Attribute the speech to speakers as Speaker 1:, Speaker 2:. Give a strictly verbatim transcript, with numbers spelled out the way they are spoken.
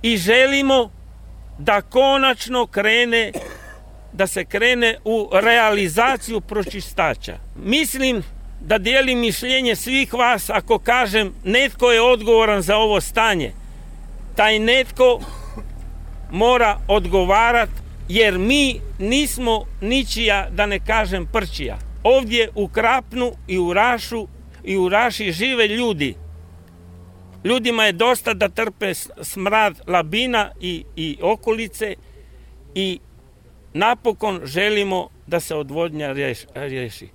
Speaker 1: i želimo da konačno krene, da se krene u realizaciju pročistača. Mislim da dijelim mišljenje svih vas ako kažem netko je odgovoran za ovo stanje. Taj netko mora odgovarati jer mi nismo ničija, da ne kažem prčija. Ovdje u Krapnu i u Rašu i u Raši žive ljudi. Ljudima je dosta da trpe smrad Labina i, i okolice i napokon želimo da se odvodnja riješi.